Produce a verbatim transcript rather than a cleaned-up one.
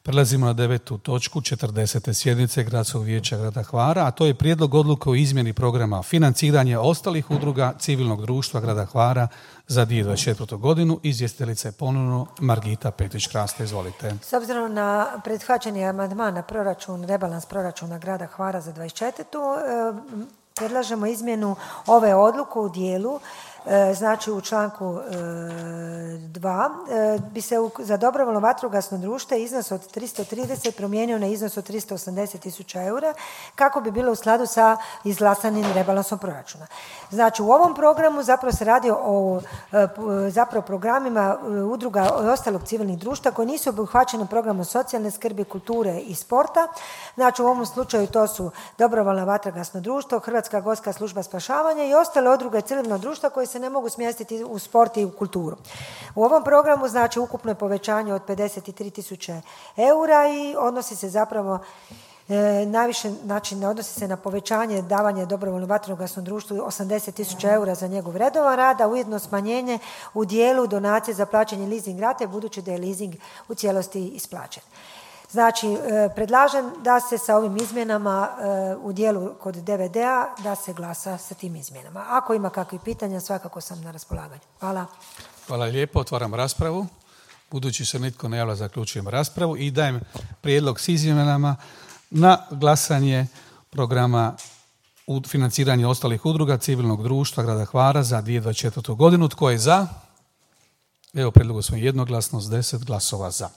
Prelazimo na devetu točku četrdesete sjednice Gradskog vijeća grada Hvara, a to je prijedlog odluke o izmjeni programa financiranja ostalih udruga civilnog društva grada Hvara za dvije tisuće dvadeset četvrtu. godinu. Izvjestiteljica je ponovno Margita Petrić-Krasta. Izvolite. S obzirom na prihvaćeni amandman na proračun, rebalans proračuna grada Hvara za dvadeset četvrtu. predlažemo izmjenu ove odluke u dijelu. Znači u članku dva bi se za dobrovoljno vatrogasno društvo iznos od tristo trideset promijenio na iznos od tristo osamdeset tisuća eura kako bi bilo u skladu sa izglasanim rebalansom proračuna. Znači u ovom programu zapravo se radi o zapravo programima udruga i ostalog civilnih društva koji nisu obuhvaćeni programom socijalne skrbi, kulture i sporta. Znači u ovom slučaju to su dobrovoljno vatrogasno društvo, Hrvatska gorska služba spašavanja i ostale udruge civilnog društva koji se ne mogu smjestiti u sport i u kulturu. U ovom programu znači ukupno je povećanje od pedeset tri tisuće eura i odnosi se zapravo e, najviše, znači ne odnosi se na povećanje davanja dobrovoljnom vatrogasnom društvu osamdeset tisuća eura za njegov redovan rad, a ujedno smanjenje u dijelu donacije za plaćanje leasing rate budući da je leasing u cijelosti isplaćen. Znači, predlažem da se sa ovim izmjenama u dijelu kod D V D-a da se glasa sa tim izmjenama. Ako ima kakvih pitanja, svakako sam na raspolaganju. Hvala. Hvala lijepo. Otvaram raspravu. Budući se nitko ne javlja, zaključujem raspravu i dajem prijedlog s izmjenama na glasanje programa u financiranje ostalih udruga civilnog društva grada Hvara za dvije tisuće dvadeset četvrtu. godinu. Tko je za? Evo, prijedlog smo jednoglasno s deset glasova za.